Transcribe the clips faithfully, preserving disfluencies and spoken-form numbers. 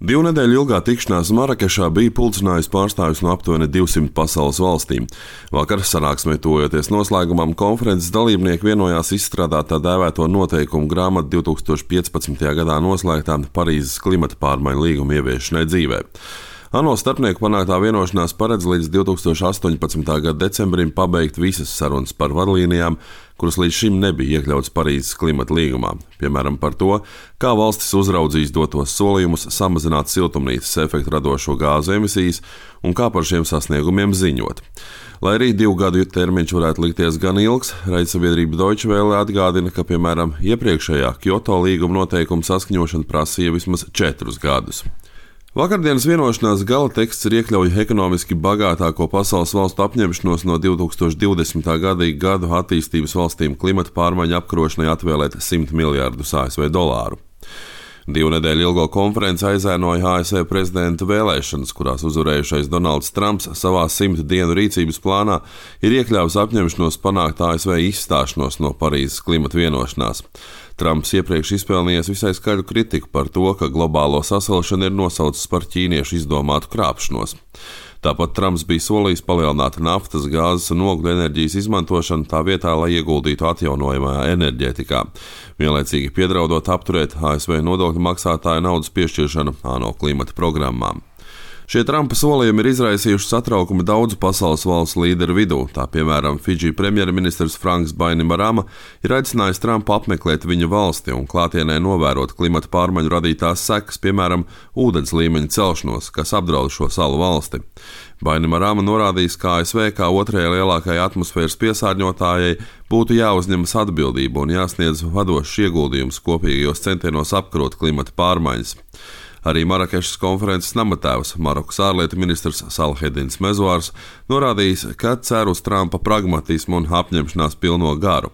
Divu nedēļu ilgā tikšanās Marakešā bija pulcinājusi pārstāvjus no aptuveni divsimt pasaules valstīm. Vakar sanāksmē tuvojoties noslēgumam, konferences dalībnieki vienojās izstrādāt tā dēvēto noteikumu grāmatu divi tūkstoši piecpadsmitajā gadā noslēgtā Parīzes klimata pārmaiņu līguma ieviešanai dzīvē. ANO starpnieku panāktā vienošanās paredz līdz divi tūkstoši astoņpadsmitā gada decembrim pabeigt visas sarunas par vadlīnijām, kuras līdz šim nebija iekļautas Parīzes klimata līgumā, piemēram par to, kā valstis uzraudzīs dotos solījumus samazināt siltumnīcas efektu radošo gāzu emisijas un kā par šiem sasniegumiem ziņot. Lai arī divu gadu termiņš varētu likties gan ilgs, raidsabiedrība Deutsche Welle atgādina, ka, piemēram, iepriekšējā Kyoto līguma noteikuma saskaņošana prasīja vismaz četrus gadus. Vakardienas vienošanās gala teksts ir iekļauj ekonomiski bagātāko pasaules valstu apņemšanos no divi tūkstoši divdesmitā gada gadu attīstības valstīm klimata pārmaiņu apkarošanai atvēlēt simt miljārdus A S V dolāru. Divu nedēļu ilgo konferenci aizēnoja A S V prezidenta vēlēšanas, kurās uzvarējušais Donalds Trumps savā simtu dienu rīcības plānā ir iekļāvis apņemšanos panākt A S V izstāšanos no Parīzes klimata vienošanās. Trumps iepriekš izpelnījies visai skaļu kritiku par to, ka globālo sasilšanu ir nosaucis par ķīniešu izdomātu krāpšanos. Tāpat Trumps bija solījis palielināt naftas, gāzes un ogļu enerģijas izmantošanu tā vietā, lai ieguldītu atjaunojamajā enerģētikā, vienlaicīgi piedraudot apturēt A S V nodokļu maksātāju naudas piešķiršanu ANO klimata programmām. Šie Trumpa solījumi ir izraisījuši satraukumu daudzu pasaules valstu līderu vidū. Tā piemēram, Fidži premjerministrs Franks Bainimarama ir aicinājis Trumpu apmeklēt viņa valsti un klātienē novērot klimata pārmaiņu radītās sekas, piemēram, ūdens līmeņa celšanos, kas apdraud šo salu valsti. Bainimarama norādījis, ka A S V kā otrajai lielākajai atmosfēras piesārņotājai būtu jāuzņemas atbildība un jāsniedz vadošs ieguldījums kopīgajos centienos apkarot klimata pārmaiņas. Arī Marakešas konferences namatēvs, Marokas ārlietu ministrs Salhedins Mezuārs, norādījis, ka cer uz Trumpa pragmatismu un apņemšanās pilno garu.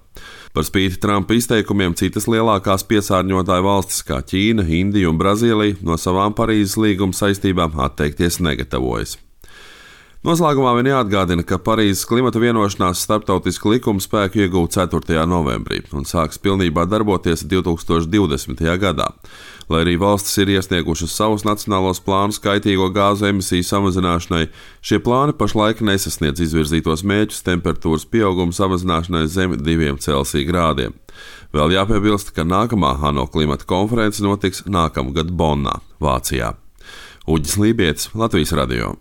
Par spīti Trumpa izteikumiem citas lielākās piesārņotāju valstis kā Ķīna, Indija un Brazīlija no savām Parīzes līguma saistībām atteikties negatavojas. Noslēgumā vien jāatgādina, ka Parīzes klimata vienošanās starptautisku likumu spēku iegūta ceturtajā novembrī un sāks pilnībā darboties divi tūkstoši divdesmitajā gadā. Lai arī valstis ir iesniegušas savus nacionālos plānus kaitīgo gāzu emisiju samazināšanai, šie plāni pašlaik nesasniedz izvirzītos mērķus temperatūras pieauguma samazināšanai zem diviem Celsija grādiem. Vēl jāpiebilst, ka nākamā ANO klimata konference notiks nākamgad Bonnā, Vācijā. Uģis Lībietis, Latvijas radio.